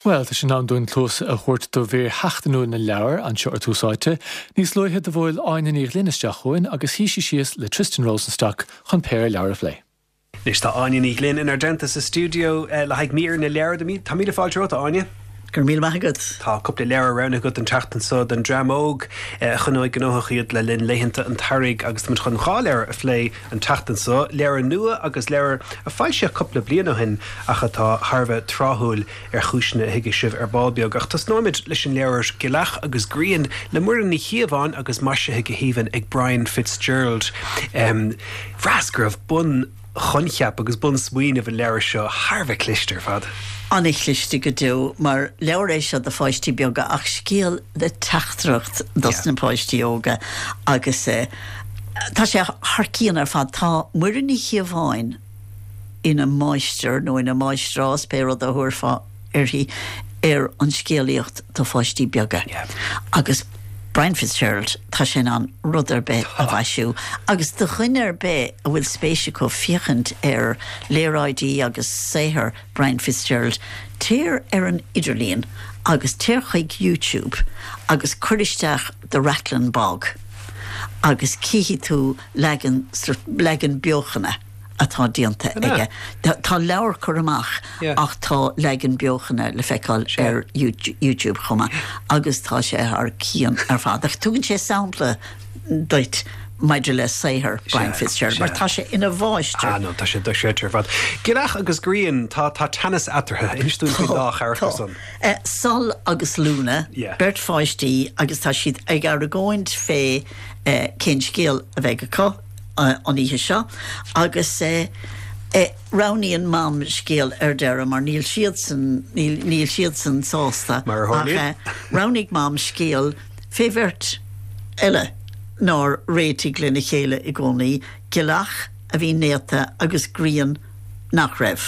Bhuel, tá sé in am dúinn cluas a thabhairt do mhír sheachtainiúil na leabhar anseo ar Tús Áite. Níos luaithe do bhuail Áine Ní Ghlinn isteach chugainn agus shuigh sí síos le Tristan Rosenstock chun péire leabhar a phlé. Anois tá Áine Ní Ghlinn inár dteannta sa stiúideo le haghaidh mír na leabhar. Tá míle fáilte romhat, a Áine. Go raibh míle maith agat. Tá cúpla leabhar roghnaithe agat an tseachtain seo don dream óg a choinneoidh gnóthach iad le linn laethanta an tsamhraidh agus táimid chun dhá leabhar a phlé an tseachtain seo, leabhar nua agus leabhar a foilsíodh cúpla bliain ó shin ach atá thar a bheith tráthúil ar chúiseanna a thuigfidh sibh ar ball beag. Ach tosnóimid leis an leabhar Gileach agus Grian le Muireann Ní Chíobháin agus maisithe go haoibhinn ag Brian Fitzgerald. Bhraitheas go raibh bunchoincheap agus bunsmaoineamh an leabhair seo thar a bheith cliste ar fad. An-chliste go deo, mar leabhar é seo do pháistí beaga ach scéal le teachtaireacht dos na páistí óga agus tá sé thar cionn ar fad. Tá Muireann Ní Chíobháin ina máistir nó ina máistreás, pé rud a thabharfá uirthi, ar an scéalaíocht do pháistí beaga. Agus Brian Fitzgerald, tá sé in ann rud ar bith a mhaisiú. Agus do dhuine ar bith a bhfuil spéis acu féachaint ar léaráidí agus saothar Brian Fitzgerald, téir ar an idirlíon agus téir chuig YouTube agus cuir isteach The Rattlin' Bog agus cífidh tú leagan, leagan beochana. atá déanta aige. Tá leabhar curtha amach ach tá leagan beochana le feiceáil ar YouTube chomh maith agus tá sé thar cionn ar fad. Ach tugann sé sampla duit maidir le saothar Brian Fitzgerald mar tá sé ina mháistir. Ah no, tá sé dochreidte ar fad. Gileach agus Grian, tá tá teannas eatarthu. Inis dúinn faoin dá charachtar san. Sol agus Luna, beirt pháistí agus tá siad ag argóint fé cén scéal a bheidh acu. an oíche seo agus roghnaíonn Mam scéal ar deireadh mar níl siadsan, níl siadsan sásta Mar a tharlaíonn. ach roghnaigh Mam scéal fé bheirt eile nár réitigh lena chéile i gcónaí, Gileach a bhí néata agus Grian nach raibh.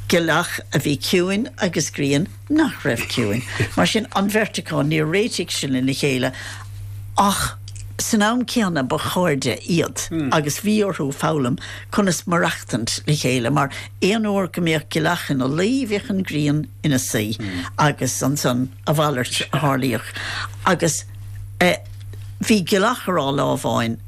Gileach a bhí ciúin agus Grian nach raibh ciúin. Mar sin, an bheirt acu, níor réitigh siad lena chéile ach san am céanna ba chairde iad agus bhí orthu foghlaim conas maireachtaint le chéile mar aon uair go mbeadh Gileach ina luí bhíodh an ghrian ina suí agus ansan a mhalairt a tharlaíodh. Agus bhí Gileach a rá lá amháin,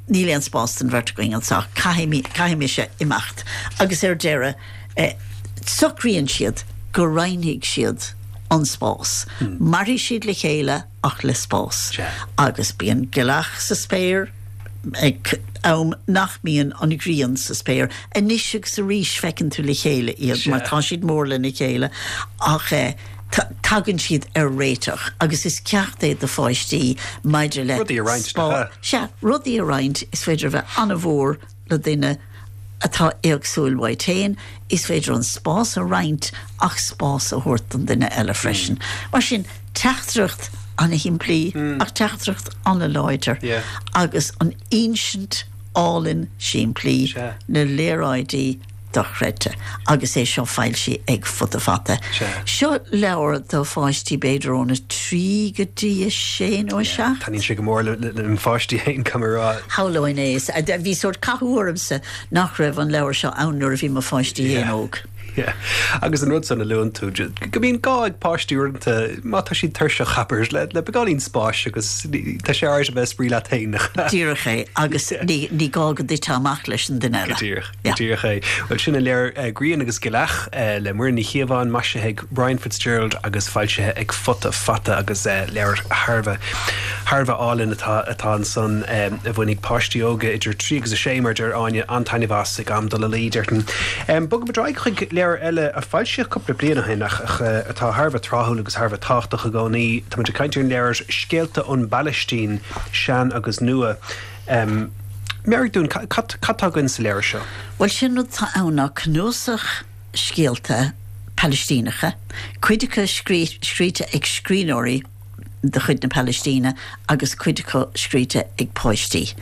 níl aon spás don bheirt againn anseo, caithfidh, caithfidh mise imeacht. Agus ar deireadh, Socraíonn siad go roinnfidh siad an spás. Mairfidh siad le chéile ach le spás. Agus bíonn Gileach sa spéir ag am nach mbíonn an ghrian sa spéir. Anois agus arís feiceann tú le chéile iad mar tá siad mór lena chéile ach tagann siad ar réiteach agus is ceacht é do pháistí maidir le Rudaí a roinnt, nach ea? Sea, rudaí a roinnt, is féidir a bheith an-mhór le duine atá éagsúil uait féin, is féidir an spás a roinnt ach spás a thabhairt don duine eile freisin. Mar sin, teachtaireacht an-shimplí ach teachtaireacht an-láidir agus an insint álainn simplí, na léaráidí, dochreidte agus é seo foilsithe ag Futa Fata. Seo leabhar do pháistí b'fhéidir óna 3 go dtí 6 nó 7. Taitníonn sé go mór le mo pháistí féin, caithfidh mé a rá. Shamhlóinn é. Bhí sórt cathú ormsa nach raibh an leabhar seo ann nuair a bhí mo pháistí féin óg. Yeah. Agus an rud san a luann tú, go mbíonn gá ag páistí uaireanta, má tá siad tuirseach, abair, le, le beagáinín spáis agus tá sé alright a bheith ag spraoi leat féin. Díreach é, agus ní, ní gá go dtitfeá amach leis an duine eile. Go díreach, go díreach é. Bhuel, sin an leabhar Grian agus Gileach le Muireann Ní Chíobháin, maisithe ag Brian Fitzgerald agus foilsithe ag Futa Fata agus leabhar thar a bheith, thar a bheith álainn atá, atá ansan a bhainfidh páistí óga idir 3 agus 6, mar a deir Áine, an-taitneamh as ag am dul a luí, déarfainn. Bogfaimid ar aghaidh chuig leabhar eile a foilsíodh cúpla bliain ó shin ach atá thar a bheith tráthúil agus thar a bheith tábhachtach i gcónaí. Táimid ag caint ar an leabhar Scéalta ón bPalaistín, Sean agus Nua. Meabhraigh dúinn, cad tá againn sa leabhar seo? Bhuel, sin rud atá ann ná cnuasach scéalta Palaistíneacha, cuid acu scríte ag scríbhneoirí de chuid na Palaistíne agus cuid acu scríte ag páistí.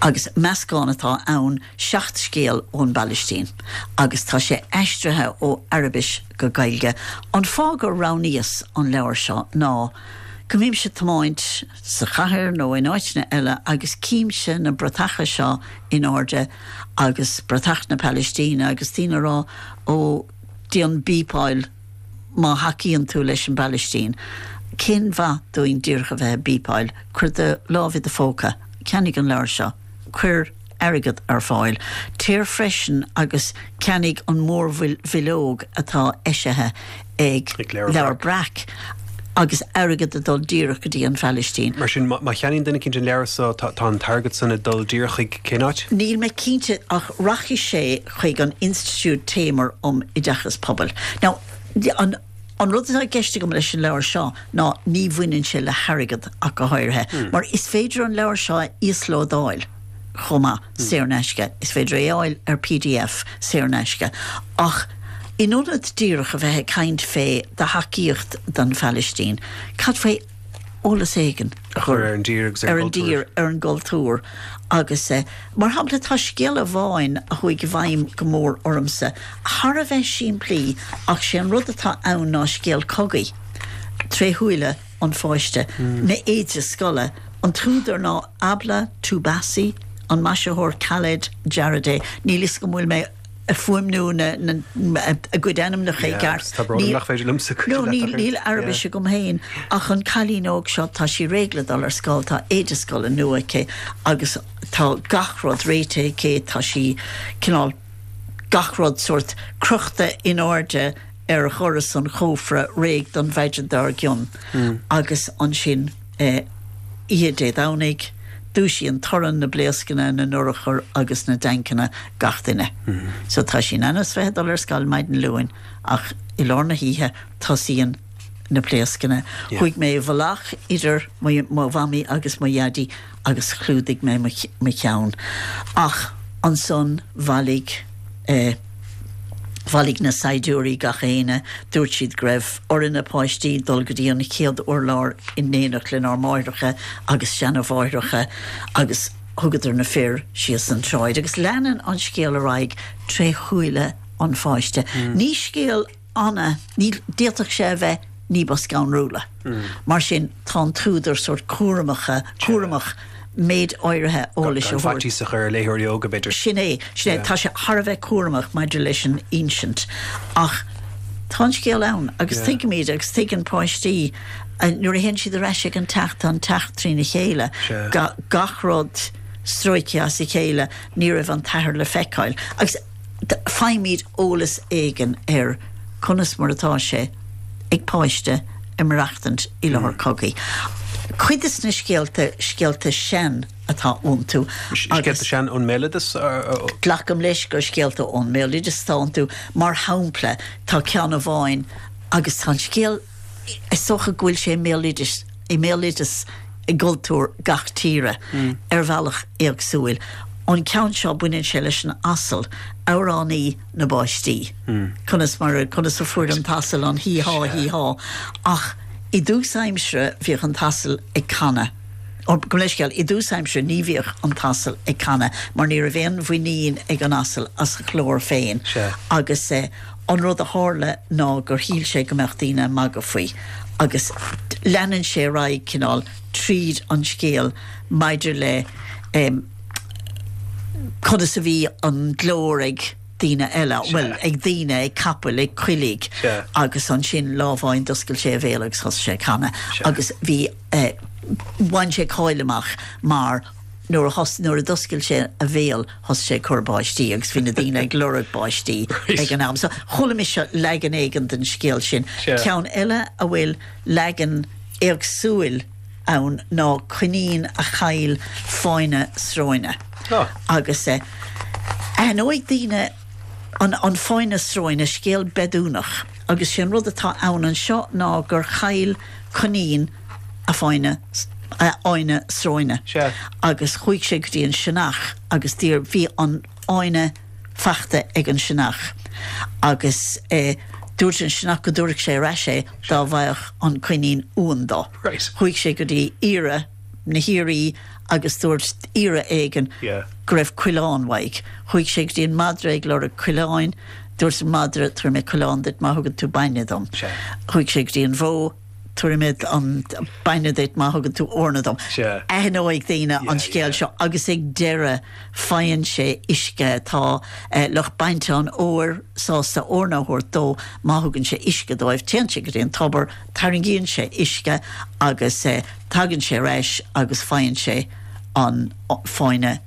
Agus meascán atá ann, 7 scéal ón bPalaistín agus tá sé aistrithe ó Araibis go Gaeilge. An fáth gur roghnaíos an leabhar seo ná go mbímse ag tiomáint sa chathair nó in áiteanna eile agus címse na bratacha seo in airde agus bratach na Palaistíne agus daoine ag rá ó déan bípeáil. má thacaíonn tú leis an bPalaistín. Cén mhaith dúinn díreach a bheith ag bípeáil? Cuir do lámh i do phóca, ceannaigh an leabhar seo, cuir airgead ar fáil. Téir freisin agus ceannaigh an mhórbhileog atá eisithe ag Leabhar Breac agus airgead ag dul díreach go dtí an Phalaistín. Mar sin, má cheannaíonn duine eicínt an leabhar so, tá an t-airgead san ag dul díreach chuig cén áit? Níl mé cinnte ach rachaidh sé chuig an Institiúid Tamer um Oideachas Pobail. Now, an an rud atá i gceist agam leis an leabhar seo ná ní bhaineann sé le hairgead ach go háirithe, mar is féidir an leabhar seo a íoslódáil chomh maith, saor in aisce. Is féidir é a fháil ar pdf saor in aisce. Ach in ionad díreach a bheith ag caint fé do thacaíocht don Phalaistín, cad faoi eolas éigin a chur ar an dtír agus ar an dtír, ar an gcultúr agus, mar shampla, tá scéal amháin a chuaigh i bhfeidhm go mór ormsa, thar a bheith simplí ach sé an rud atá ann ná scéal cogaidh tré shúile an pháiste, na éide scoile. An t-údar ná Abla Toubassi, an maisitheoir Khaled Jaradeh. Níl fhios agam an bhfuil mé ag fuaimniú na a gcuid ainmneacha i gceart. Tá brón orm nach féidir liomsa cuidiú leat ach Níl Araibis agam féin ach an cailín óg seo tá sí réidh le dul ar scoil, tá éide scoile nua aici agus tá gach rud réitithe aici, tá sí cineál gach rud sórt crochta in airde ar dhoras an chófra réidh don mhaidin dár gcionn agus ansin oíche Dé Domhnaigh, dúisíonn torann na bpléascanna, na n-urchar agus na dtancanna gach duine. So tá sí in ainm is bheith ag dul ar scoil maidin Luain ach i lár na hoíche tosaíonn na pléascanna. Chuaigh mé i bhfolach idir mo mhamaí agus mo dhaidí agus chlúdaigh mé mo cheann. Ach ansan bhailigh eh. Bhailigh na saighdiúirí gach éinne. Dúirt siad go raibh orainne páistí dul go dtí an chéad urlár in éineacht lenár máithreacha agus seana-mháithreacha agus thugadar na fir síos an tsráid. Agus leanann an scéal ar aghaidh tré shúile an pháiste. Ní scéal ana, ní, d'fhéadfadh sé a bheith ní ba scanrúla. Mar sin, tá an t-údar sórt cúramacha, cúramach méid áirithe eolais a thabhairt. Gan faitíos a chur ar léitheoirí óga, b'fhéidir. Sin é, sin é. Tá sé thar a bheith cúramach maidir leis an insint. Ach tá an scéal ann agus tuigimid agus tuigeann páistí nuair a théann siad ar ais ag an teach, tá an teach trína chéile, gach rud stróicthe as a chéile, ní raibh an t-athair le feiceáil. Agus faighimid eolas éigin ar conas mar atá sé ag páiste ag maireachtaint i láthair cogaidh. Cuid des na scéalta, scéalta sean atá iontu agus. Scéalta sean ón mbéaloideas? Glacaim leis gur scéalta ón mbéaloideas atá iontu. Mar shampla, tá ceann amháin agus tá an scéal, is dócha go bhfuil sé i mbéaloideas, i mbéaloideas i gcultúr gach tíre ar bhealach éagsúil. An ceann seo, baineann sé leis an asal, amhránaí na bpáistí. Conas mar a, conas a fuair an t-asal an hí há, hí há. Ach i dtús aimsire bhíodh an t-asal ag canadh, ó, gabh mo leithscéal, i dtús aimsire ní bhíodh an t-asal ag canadh mar ní raibh aon mhuinín ag an asal as a ghlór féin agus eh, An rud a tharla ná gur shíl sé go mbeadh daoine ag magadh faoi agus leanann sé ar aghaidh cineál tríd an scéal maidir le conas a bhí an glór ag daoine eile, bhuel, ag daoine, ag capaill, ag coiligh agus ansin lá amháin d'oscail sé a bhéal agus thosaigh sé ag canadh agus bhí, bhain sé cáil amach mar Nuair a thos, nuair a d'oscail sé a bhéal thosaigh sé ag cur báistí agus bhí na daoine ag lorg báistí ag an am. So chuala mise leagan éigin den scéal sin. Ceann eile a bhfuil leagan éagsúil ann ná coinín a chaill fáinne sróine. Agus eh aithneoidh daoine an an fáinne sróine, scéal Bedúnach agus sé an rud atá ann anseo ná gur chaill coinín a fáinne, a fháinne sróine agus chuaigh sé go dtí an sionnach agus d'iarr, bhí an fháinne fachta ag an sionnach agus eh dúirt an sionnach go dtabharfadh sé ar ais é dá bhfaigheadh an coinín uan dó. Chuaigh sé go dtí iora, na hioraí agus dúirt iora éigin go raibh coileán uaidh. Chuaigh sé go dtí an madra ag lorg coileáin, dúirt an madra tabharfaidh mé coileán duit má thugann tú bainne dom. Chuaigh sé go dtí an bhó. Tabharfaidh mé an bainne duit má thugann tú eorna dom. Aithneoidh daoine an scéal seo agus ag deireadh faigheann sé uisce. Tá lucht bainte an óir sásta eorna a thabhairt dó má thugann sé uisce dóibh. Téann sé go dtí an tobar, tarraingíonn sé uisce agus tagann sé ar ais agus faigheann sé an fáinne.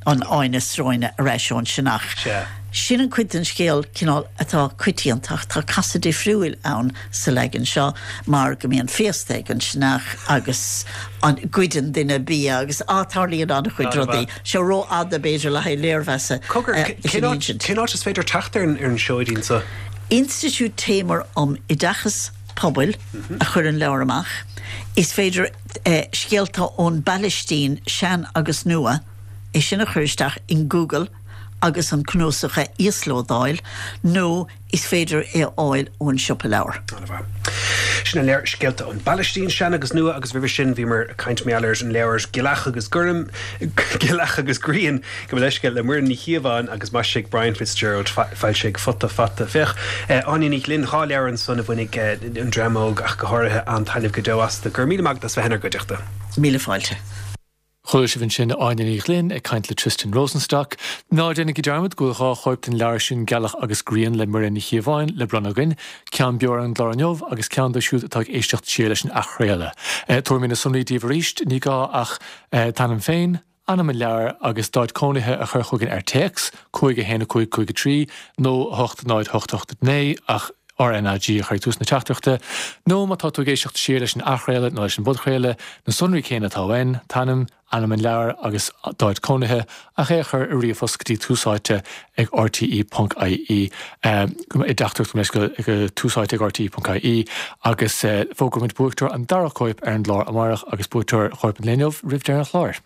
an fháinne sróine ar ais ón sionnach. Sea. Sin an cuid den scéal cineál atá coitianta ach tá casadh difriúil ann sa leagan seo mar go mbíonn féasta ag an sionnach agus an goideann duine bia agus á tarlaíonn an-chuid rudaí. Seo rófhada b'fhéidir le haghaidh léirmheasa Cogar, cén áit cén áit is féidir teacht ar an seoidín seo? Institiúid Tamer um Oideachas Pobail a chuir an leabhar amach. Is féidir Scéalta ón bPailistín, Sean agus Nua, é sin a chur isteach in Google agus an cnuasach a íoslódáil, nó is féidir é a fháil ón siopa leabhar. An-mhaith. Sin an leabhar Scéalta ón bPailistín, Sean agus Nua agus roimhe sin bhíomar ag caint mar gheall ar an leabhar Gealach agus Gorm, Gealach agus Grian, Gabh mo leithscéal, le Muireann Ní Chíobháin agus maisithe ag Brian Fitzgerald, foilsithe ag Futa Fata. Féach, Áine Ní Ghlinn, 2 leabhar ansan a bhainfidh an dream óg ach go háirithe an-taitneamh go deo astu. Go raibh míle maith agat as bheith inár gcuideachta. Míle fáilte. Chuala sibh ansin Áine Ní Ghlinn ag caint le Tristan Rosenstock. Ná déanaigí dearmad go bhfuil 2 chóip den leabhar sin Gealach agus Grian le Muireann Ní Chíobháin le bronnadh againn, ceann beo ar an gclár inniu agus ceann dóibh siúd atá ag éisteacht siar leis an athchraoladh. Tabharfaidh mé na sonraí daoibh arís, ní gá ach t'ainm féin, ainm an leabhair agus d'áit cónaithe a chur chugainn ar téacs, 5 1 5 5 3 nó 8 0 8 8 9, ach RnaG a chur ag tús na teachtaireachta, nó má tá tú ag éisteacht siar leis an athchraoladh nó leis an bpodchraoladh, na sonraí céanna atá uainn, t'ainm, ainm an leabhair agus d'áit cónaithe, ach é a chur i ríomhphost go dtí Tús Áite ag rte ponc ie, i dteachtaireacht go go Tús Áite ag rte ponc ie, agus fógróimid buaiteoir an dara cóip ar an gclár amárach agus buaiteoir chóip an lae inniu roimh deireadh an chláir.